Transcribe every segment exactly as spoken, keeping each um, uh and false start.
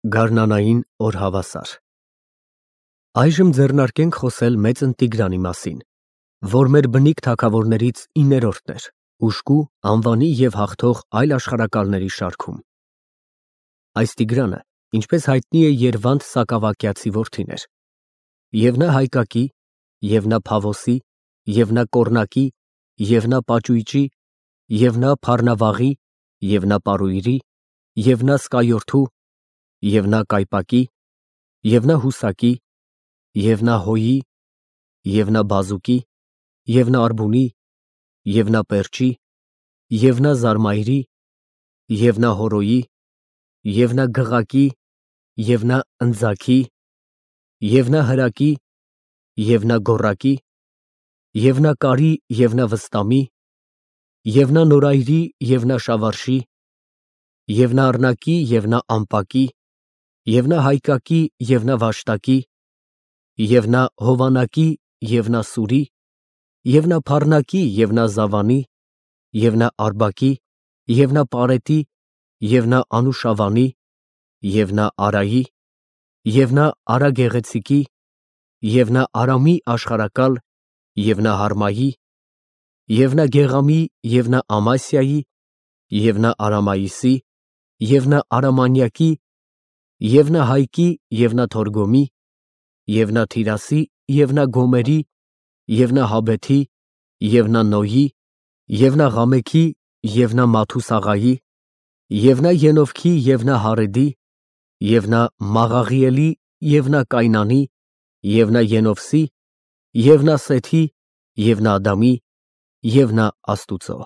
Գարնանային օր հավասար Այժմ ձեռնարկենք խոսել մեծն Տիգրանի մասին, որ մեր բնիկ թագավորներից իններորդն էր, ուշկու, անվանի և հաղթող այլ աշխարհակալների շարքում։ Այս Տիգրանը, ինչպես հայտնի է, Երվանդ Սակավակյացի որդին էր, և նա Հայկակի, և նա Փավոսի, և նա Կոռնակի, և նա Պաճույճի, և նա Փառնավաղի, և նա Պարույրի, և նա Սկայորդու, և նա Կայպակի, և նա Հուսակի, և նա Հոյի, և նա Բազուկի, և նա Արբունի, և նա Պերճի, և նա Զարմայրի, և նա Հորոյի, և նա Գղակի, և նա Ընձագի, և նա Հրակի, և նա Գոռակի, և նա Կարի, և նա Վստամի, և նա Նորայրի, և նա Շավարշի, և նա Առնակի, և նա Ամպակի, և նա Հայկակի, և նա Վաշտակի, և նա Հովանակի, և նա Սուրի, և նա Փառնակի, և նա Զավանի, և նա Արբակի, և նա Պարետի, և նա Անուշավանի, և նա Արայի, և նա Արագեղեցիկի, և նա Արամի աշխարհակալ, և նա Հարմայի, և նա Գեղամի, և նա Ամասիայի, և նա Արամայիսի, և նա Արամանյակի, և նա Հայկի, և նա Թորգոմի, և նա Թիրասի, և նա Գոմերի, և նա Հաբեթի, և նա Նոյի, և նա Ղամեքի, և նա Մաթուսաղայի, և նա Ենովքի, և նա Հարեդի, և նա Մաղաղիելի, և նա Կայնանի, և նա Ենովսի, և նա Սեթի, և նա Ադամի, և նա Աստուծո։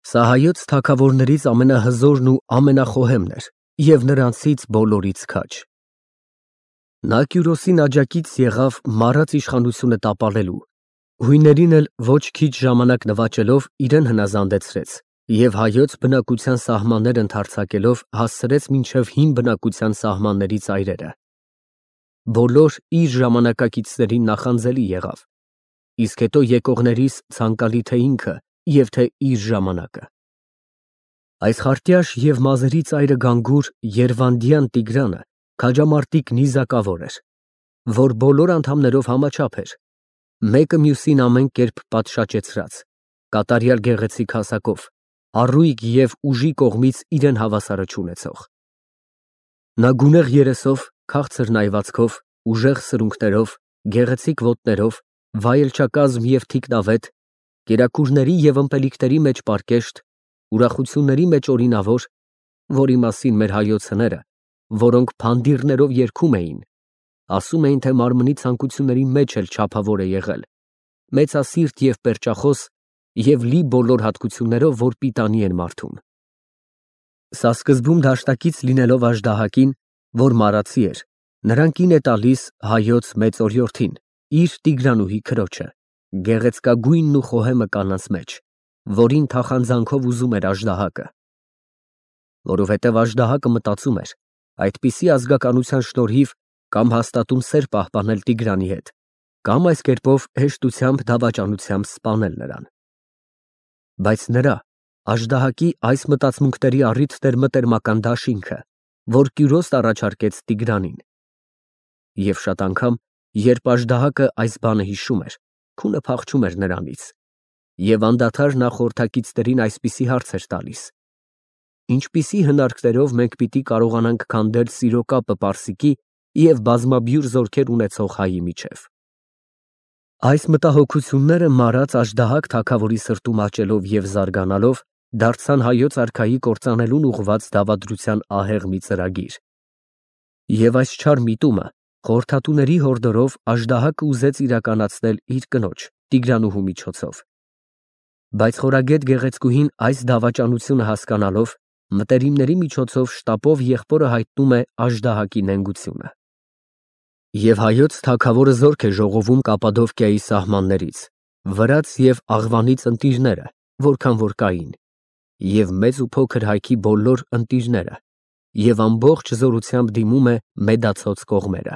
Սա հայոց թագավորներից ամենահզորն ու ամենախոհեմն էր և նրանցից բոլորից քաջ։ Նա Կյուրոսին աջակից եղավ մարած իշխանությունը տապալելու, հույներին էլ ոչ քիչ ժամանակ նվաճելով իրեն հնազանդեցրեց և հայոց բնակության սահմաններ ընդարձակելով հասցրեց մինչև հին բնակության սահմանների ծայրերը։ Բոլոր իր ժամանակակիցներին նախանձելի եղավ, իսկ հետո եկողներիս ցանկալի թե ինքը և թե իր ժամանակը։ Այս խարտյաշ և մազերի ծայրը գանգուր երվանդյան Տիգրանը քաջամարտիկ նիզակավոր էր, որ բոլոր անդամներով համաչափ էր, մեկը մյուսին ամեն կերպ պատշաճեցրած, կատարյալ գեղեցիկ հասակով, առույգ և ուժի կողմից իրեն հավասարը չունեցող։ Նա գունեղ երեսով, քաղցր նայվածքով, ուժեղ սրունքներով, գեղեցիկ ոտներով, վայելչակազմ և թիկնավետ, կերակուրների և ըմպելիքների մեջ պարկեշտ, ուրախությունների մեջ օրինավոր, որի մասին մեր հայոց հները, որոնք փանդիռներով երգում էին, ասում էին, թե մարմնի ցանկությունների մեջ էլ չափավոր է եղել, մեծասիրտ և պերճախոս և լի բոլոր հատկություններով, որ պիտանի են մարդուն։ Սա սկզբում դաշտակից լինելով աժդահակին, որ մարացի էր, նրան կին է տալիս հայոց մեծ օրիորդին, իր Տիգրանուհի քրոջը, գեղեցկագույնն ու խոհեմը կանանց մեջ, որին թախանձանքով ուզում էր աժդահակը։ Որովհետև աժդահակը մտածում էր այդպիսի ազգականության շնորհիվ կամ հաստատուն սեր պահպանել Տիգրանի հետ, կամ այս կերպով հեշտությամբ դավաճանությամբ սպանել նրան։ Բայց նրա՝ աժդահակի այս մտածմունքների առիթն էր մտերմական դաշինքը, որ Կյուրոսն առաջարկեց Տիգրանին։ Եվ շատ անգամ, երբ աժդահակը այս բանը հիշում էր, քունը փախչում էր նրանից, և անդադար նա խորհրդակիցներին այսպիսի հարց էր տալիս. «Ինչպիսի հնարքներով մենք պիտի կարողանանք քանդել սիրո կապը պարսիկի և բազմաբյուր զորքեր ունեցող հայի միջև»։ Այս մտահոգությունները մարած աժդահակ թագավորի սրտում աճելով և զարգանալով, դարձան հայոց արքայի կործանելուն ուղղված դավադրության ահեղ մի ծրագիր։ Եվ այս չար միտումը խորհրդատուների հորդորով աժդահակը ուզեց իրականացնել իր կնոջ՝ Տիգրանուհու միջոցով։ Բայց խորագետ գեղեցկուհին այս դավաճանությունը հասկանալով, մտերիմների միջոցով շտապով եղբորը հայտնում է աժդահակի նենգությունը։ Եվ հայոց թագավորը զորք է ժողովում Կապադովկիայի սահմաններից, Վրաց և Աղվանից ընտիրները, որքան որ կային, և մեծ ու փոքր հայքի բոլոր ընտիրները, և ամբողջ զորությամբ դիմում է Մեդացոց կողմերը։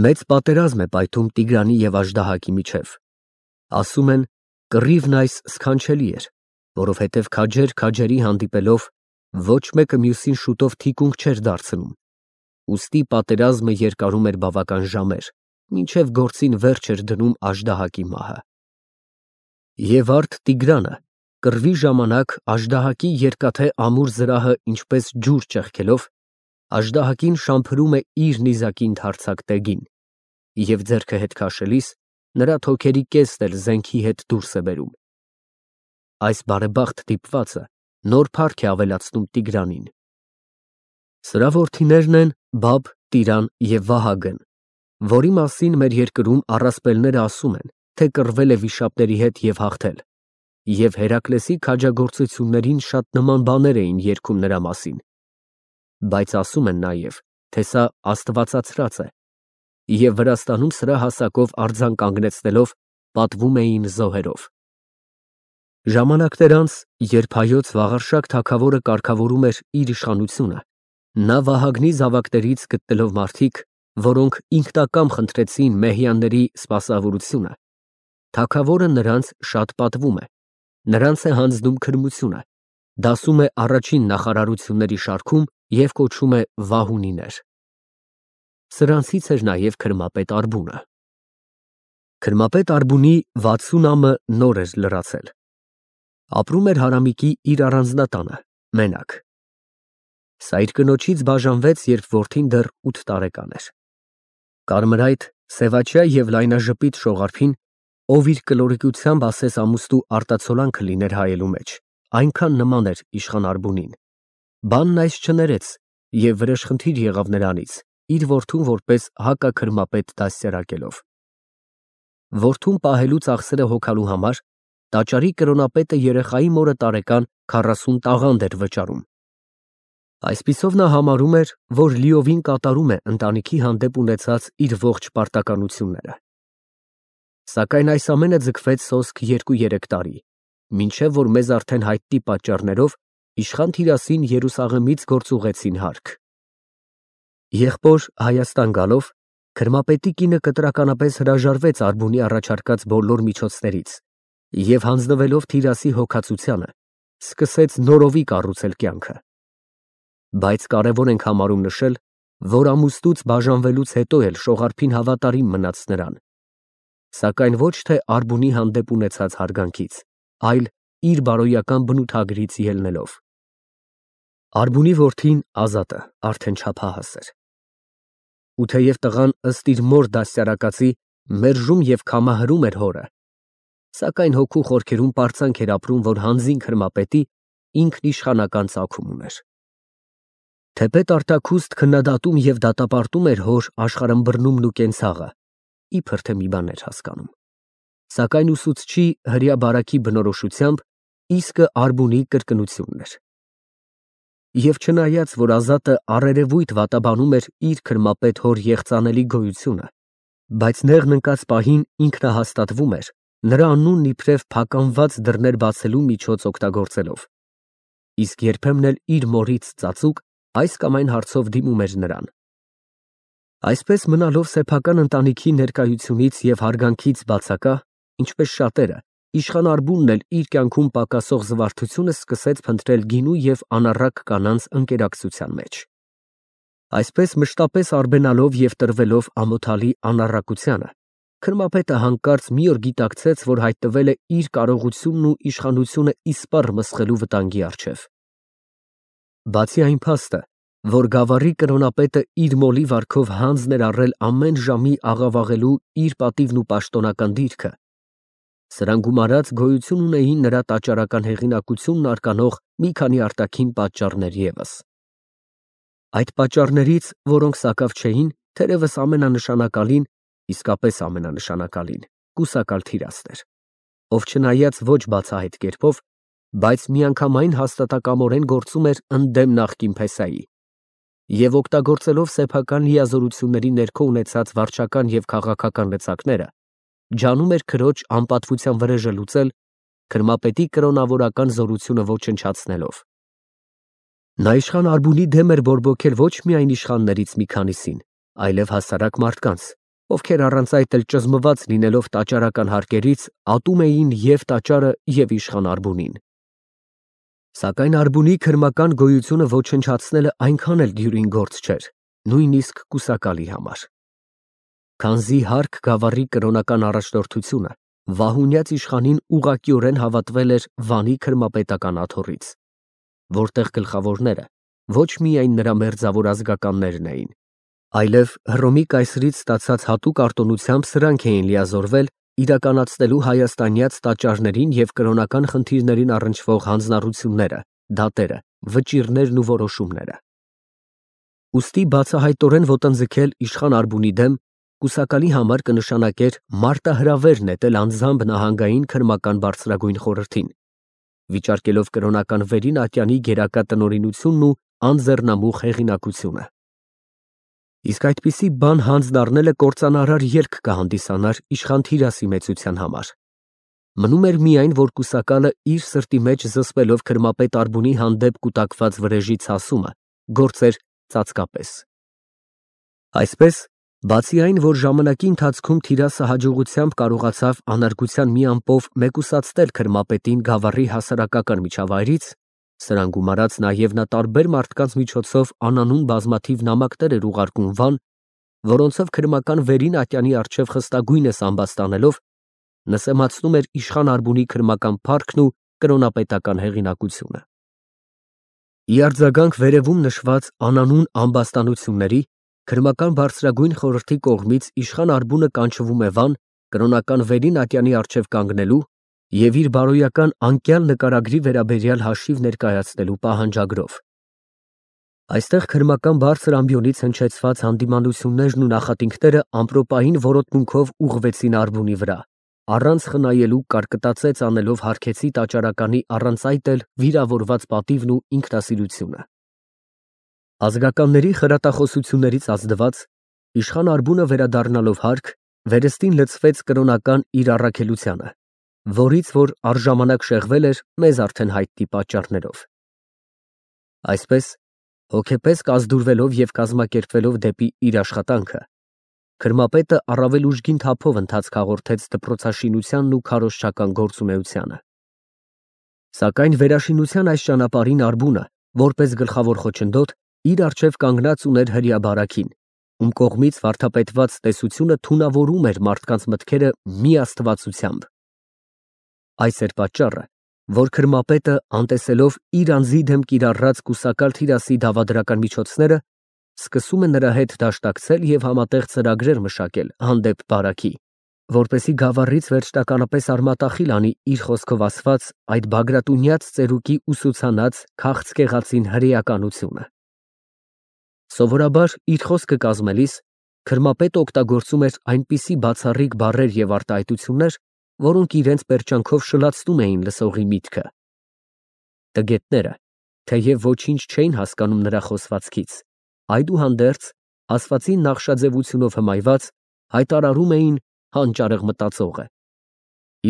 Մեծ պատերազմ է պայթում Տիգրանի և աժդահակի միջև։ Ասում են, կռիվն այս սքանչելի էր, որովհետև քաջեր քաջերի հանդիպելով Ոչ մեկը մյուսին շուտով թիկունք չէր դարձնում, ուստի պատերազմը երկարում էր բավական ժամեր, մինչև գործին վերջ էր դնում աժդահակի մահը։ Եվ արդ Տիգրանը կռվի ժամանակ աժդահակի երկաթե ամուր զրահը ինչպես ջուր ճեղքելով, աժդահակին շամփրում է իր նիզակի ընդարձակ տեգին, և ձեռքը հետ քաշելիս նրա թոքերի կեսն էլ զենքի հետ դուրս է բերում։ Այս բարեբախտ դիպվածը նոր փառք է ավելացնում Տիգրանին։ Սրա որդիներն են Բաբ, Տիրան և Վահագն, որի մասին մեր երկրում առասպելները ասում են, թե կռվել է վիշապների հետ և հաղթել, և Հերակլեսի քաջագործություններին շատ նման բաներ էին երգում նրա մասին, բայց ասում են նաև, թե սա աստվածացրած է, և Վրաստանում սրա հասակով արձան կանգնեցնելով պատվում էին զոհերով։ Ժամանակներ անց, երբ հայոց Վաղարշակ թագավորը կարգավորում էր իր իշխանությունը, նա Վահագնի զավակներից գտնելով մարդիկ, որոնք ինքնակամ խնդրեցին մեհյանների սպասավորությունը, թագավորը նրանց շատ պատվում է, նրանց է հանձնում քրմությունը, դասում է առաջին նախարարությունների շարքում և կոչում է վահունիներ։ Սրանցից էր նաև քրմապետ Արբունը։ Քրմապետ Արբունի վաթսուն ամը նոր էր լրացել։ Ապրում էր հարամիկի իր առանձնատանը, մենակ։ Սա իր կնոջից բաժանվեց, երբ որդին դեռ ութ տարեկան էր։ Կարմրայթ, սևաչյա և լայնաժպիտ Շողարփին, ով իր կլորիկությամբ ասես ամուստու արտացոլանքը լիներ հայելու մեջ, այնքան նման էր իշխան Արբունին, բանն այս չներեց և վրեժխնդիր եղավ նրանից, իր որդուն որպես հակաքրմապետ դաստիարակելով։ Որդուն պահելու ծախսերը հոգալու համար տաճարի կրոնապետը երեխայի մորը տարեկան քառասուն տաղանդ էր վճարում։ Այսպիսով նա համարում էր, որ լիովին կատարում է ընտանիքի հանդեպ ունեցած իր ողջ պարտականությունները։ Սակայն այս ամենը ձգվեց սոսկ երկու֊երեք տարի, մինչև որ մեզ արդեն հայտնի պատճառներով իշխան Թիրասին Երուսաղեմից գործուղեցին հարկ։ Եղբոր Հայաստան գալով, քրմապետի կինը կտրականապես հրաժարվեց Արբունի առաջարկած բոլոր միջոցներից և հանձնվելով Թիրասի հոգածությանը, սկսեց նորովի կառուցել կյանքը։ Բայց կարևոր ենք համարում նշել, որ ամուսնուց բաժանվելուց հետո էլ Շողարփին հավատարիմ մնաց նրան, սակայն ոչ թե Արբունի հանդեպ ունեցած հարգանքից, այլ իր բարոյական բնութագրից ելնելով։ Արբունի որդին Ազատը արդեն չափահաս էր։ Ու թեև տղան ըստ իր մոր դաստիարակածի մերժում և քամահրում էր հորը, սակայն հոգու խորքերում պարծանք էր ապրում, որ հանձին քրմապետի ինքն իշխանական ծագում ուներ։ Թեպետ արտաքուստ քննադատում և դատապարտում էր հոր աշխարհըմբռնումն ու կենցաղը, իբր թե մի բան էր հասկանում, սակայն ուսուցչի հրեա բարաքի բնորոշությամբ իսկը Արբունի կրկնությունն էր։ Եվ չնայած, որ Ազատը առերևույթ վատաբանում էր իր քրմապետ հոր եղծանելի գոյությունը, բայց նեղն ընկած պահին ինքնահաստատվում էր, նրա անունն իբրև փականված դռներ բացելու միջոց օգտագործելով, իսկ երբեմն էլ իր մորից ծածուկ այս կամ այն հարցով դիմում էր նրան։ Այսպես մնալով սեփական ընտանիքի ներկայությունից և հարգանքից բացակա, ինչպես շատերը, իշխան Արբունն էլ իր կյանքում պակասող զվարթությունը սկսեց փնտրել գինու և անառակ կանանց ընկերակցության մեջ։ Այսպես մշտապես արբենալով և տրվելով ամոթալի անառակությանը, քրմապետը հանկարծ մի օր գիտակցեց, որ հայտնվել է իր կարողությունն ու իշխանությունը իսպառ մսխելու վտանգի առջև։ Բացի այն փաստը, որ գավառի կրոնապետը իր մոլի վարքով հանձն էր առել ամեն ժամի աղավաղելու իր պատիվն ու պաշտոնական դիրքը, սրան գումարած գոյություն ունեին նրա տաճարական հեղինակությունն արկանող մի քանի արտաքին պատճառներ ևս։ Այդ պատճառներից, որոնք սակավ չէին, թերևս ամենանշանակալին, իսկապես ամենանշանակալին, կուսակալ Թիրասն էր, ով չնայած ոչ բացահայտ կերպով, բայց միանգամայն հաստատակամորեն գործում էր ընդդեմ նախկին փեսայի և օգտագործելով սեփական լիազորությունների ներքո ունեցած վարչական և քաղաքական լծակները, ջանում էր քրոջ անպատվության վրեժը լուծել, քրմապետի կրոնավորական զորությունը ոչնչացնելով։ Նա իշխան Արբունի դեմ էր բորբոքել ոչ միայն իշխաններից մի քանիսին, այլև հասարակ մարդկանց, ովքեր առանց այդ էլ ճզմված լինելով տաճարական հարկերից, ատում էին և տաճարը, և իշխան Արբունին։ Սակայն Արբունի քրմական գոյությունը ոչնչացնելը այնքան էլ դյուրին գործ չէր, նույնիսկ կուսակալի համար։ Քանզի Հարք գավառի կրոնական առաջնորդությունը վահունյաց իշխանին ուղղակիորեն հավատվել էր Վանի քրմապետական աթոռից, որտեղ գլխավորները ոչ միայն նրա մերձավոր ազգականներն էին, այլև Հռոմի կայսրից ստացած հատուկ արտոնությամբ սրանք էին լիազորվել իրականացնելու հայաստանյաց տաճարներին և կրոնական խնդիրներին առնչվող հանձնառությունները, դատերը, վճիռներն ու որոշումները։ Ուստի բացահայտորեն ոտնձգել իշխան Արբունի դեմ կուսակալի համար կնշանակեր մարտահրավեր նետել անձամբ նահանգային քրմական բարձրագույն խորհրդին, վիճարկելով կրոնական վերին ատյանի գերակա տնօրինությունն ու անձեռնամուխ հեղինակությունը։ Իսկ այդպիսի բան հանձն առնելը կործանարար ելք կհանդիսանար իշխան Թիրասի մեծության համար։ Մնում էր միայն, որ կուսակալը իր սրտի մեջ զսպելով քրմապետ Արբունի հանդեպ կուտակված վրեժի ցասումը գործեր ծածկապես։ Այսպես, բացի այն, որ ժամանակի ընթացքում Թիրասը հաջողությամբ կարողացավ անարգության մի ամպով մեկուսացնել քրմապետին գավառի հասարակական միջավայրից, սրան գումարած նաև նա տարբեր մարդկանց միջոցով անանուն բազմաթիվ նամակներ էր ուղարկում Վան, որոնցով քրմական վերին ատյանի առջև խստագույնս ամբաստանելով նսեմացնում էր իշխան Արբունի քրմական փառքն ու կրոնապետական հեղինակությունը։ Ի արձագանք վերևում նշված անանուն ամբաստանությունների քրմական բարձրագույն խորհրդի կողմից իշխան Արբունը կանչվում է Վան կրոնական վերին ատյանի առջև կանգնելու և իր բարոյական անկյալ նկարագրի վերաբերյալ հաշիվ ներկայացնելու պահանջագրով։ Այստեղ քրմական բարձր ամբիոնից հնչեցված հանդիմանություններն ու նախատինքները ամպրոպային որոտմունքով ուղղվեցին Արբունի վրա, առանց խնայելու կարկտացեց անելով հարգեցի տաճարականի առանց այդ էլ վիրավորված պատիվն ու ինքնասիրությունը։ Ազգականների խրատախոսություններից ազդված իշխան Արբունը վերադառնալով Հարք, վերստին լցվեց կրոնական իր առաքելությանը, որից որ առժամանակ շեղվել էր մեզ արդեն հայտնի պատճառներով։ Այսպես, հոգեպես կազդուրվելով և կազմակերպվելով դեպի իր աշխատանքը, քրմապետը առավել ուժգին թափով ընթացք հաղորդեց դպրոցաշինությանն ու քարոզչական գործունեությանը։ Սակայն վերաշինության այս ճանապարհին Արբունը, որպես գլխավոր խոչընդոտ, իր առջև կանգնած ուներ հրեաբարագին, ում կողմից վարդապետված տեսությունը թունավորում էր մարդկանց մտքերը մի աստվածությամբ։ Այս էր պատճառը, որ քրմապետը, անտեսելով իր անձի դեմ կիրառած կուսակալ Թիրասի դավադրական միջոցները, սկսում է նրա հետ դաշտակցել և համատեղ ծրագրեր մշակել հանդեպ բարաքի, որպեսզի գավառից վերջնականապես արմատախիլ անի իր խոսքով ասված այդ բագրատունյաց ծերուկի ուսուցանած քաղցկեղածին հրեականությունը։ Սովորաբար իր խոսքը կազմելիս քրմապետը օգտագործում էր այնպիսի բացառիկ բառեր և արտահայտություններ, որոնք իրենց պերճանքով շլացնում էին լսողի միտքը։ Տգետները, թեև ոչինչ չէին հասկանում նրա խոսվածքից, այդուհանդերձ, ասվածին նախշաձևությունով հմայված, հայտարարում էին հանճարեղ մտածողը,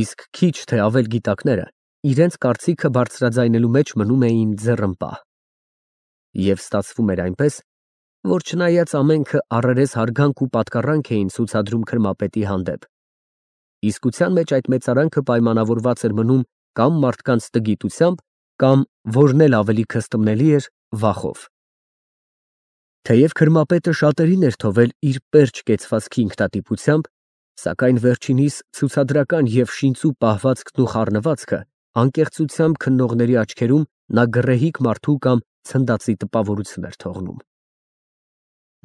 իսկ քիչ թե ավել գիտակները իրենց կարծիքը բարձրաձայնելու մեջ մնում էին ձեռըմպահ։ Եվ ստացվում էր այնպես, որ չնայած ամենքը առերես հարգանք ու պատկառանք էին ցուցադրում քրմապետի հանդեպ, իսկության մեջ այդ մեծարանքը պայմանավորված էր մնում կամ մարդկանց տգիտությամբ, կամ, որն էլ ավելի քստմնելի էր, վախով։ Թեև քրմապետը շատերին էր թողել իր պերճ կեցվածքի ինքնատիպությամբ, սակայն վերջինիս ցուցադրական և շինծու պահվածքն ու խառնվածքը անկեղծությամբ քննողների աչքերում նա գռեհիկ մարդու կամ ցնդածի տպավորություն էր թողնում։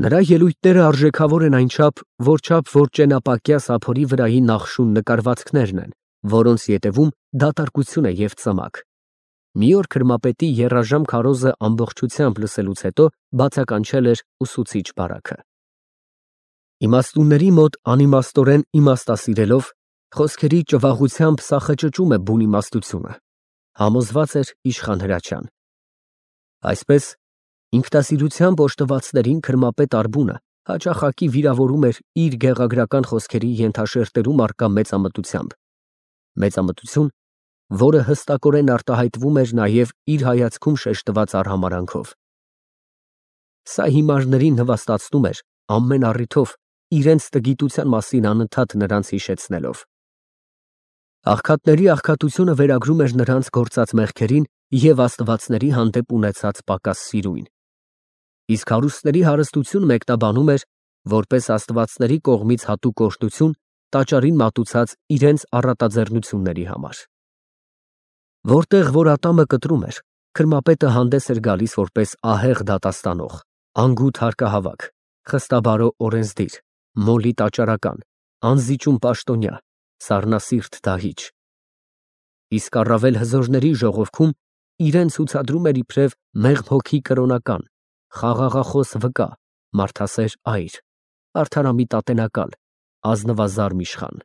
Նրա ելույթները արժեքավոր են այնչափ, որչափ որ ճենապակյա սափորի վրայի նախշուն նկարվածքներն են, որոնց ետևում դատարկություն է և ծմակ։ Մի օր քրմապետի եռաժամ քարոզը ամբողջությամբ լսելուց հետո բացականչել էր ուսուցիչ բարաքը։ Իմաստունների մոտ անիմաստորեն իմաստասիրելով, խոսքերի ճվաղությամբ սախճճում է բուն իմաստությունը, համոզված էր իշխան Հրաչյան։ Այսպես, ինքնասիրությամբ օժտվածներին քրմապետ Արբունը հաճախակի վիրավորում էր իր գեղագրական խոսքերի ենթաշերտերում առկա մեծամտությամբ, մեծամտություն, որը հստակորեն արտահայտվում էր նաև իր հայացքում շեշտված արհամարհանքով։ Սա հիմարներին նվաստացնում էր ամեն առիթով իրենց տգիտության մասին անընդհատ նրանց հիշեցնելով։ Աղքատների աղքատությունը վերագրում էր նրանց գործած մեղքերին և աստվածների հանդեպ ունեցած պակաս սիրույն։ Իսկ հարուստների հարստություն մեկնաբանում էր որպես աստվածների կողմից հատուկ օրհնություն տաճարին մատուցած իրենց առատաձեռնությունների համար։ Որտեղ որ ատամը կտրում էր, քրմապետը հանդես էր գալիս որպես ահեղ դատաստանող, անգութ հարկահավաք, խստաբարո օրենսդիր, մոլի տաճարական, անզիջում պաշտոնյա, սառնասիրտ դահիճ։ Իսկ առավել հզորների ժողովքում իրեն ցուցադրում էր իբրև մեղմ հոգի կրոնական, խաղաղախոս վկա, մարդասեր այր, արդարամիտ ատենակալ, ազնվազարմ իշխան։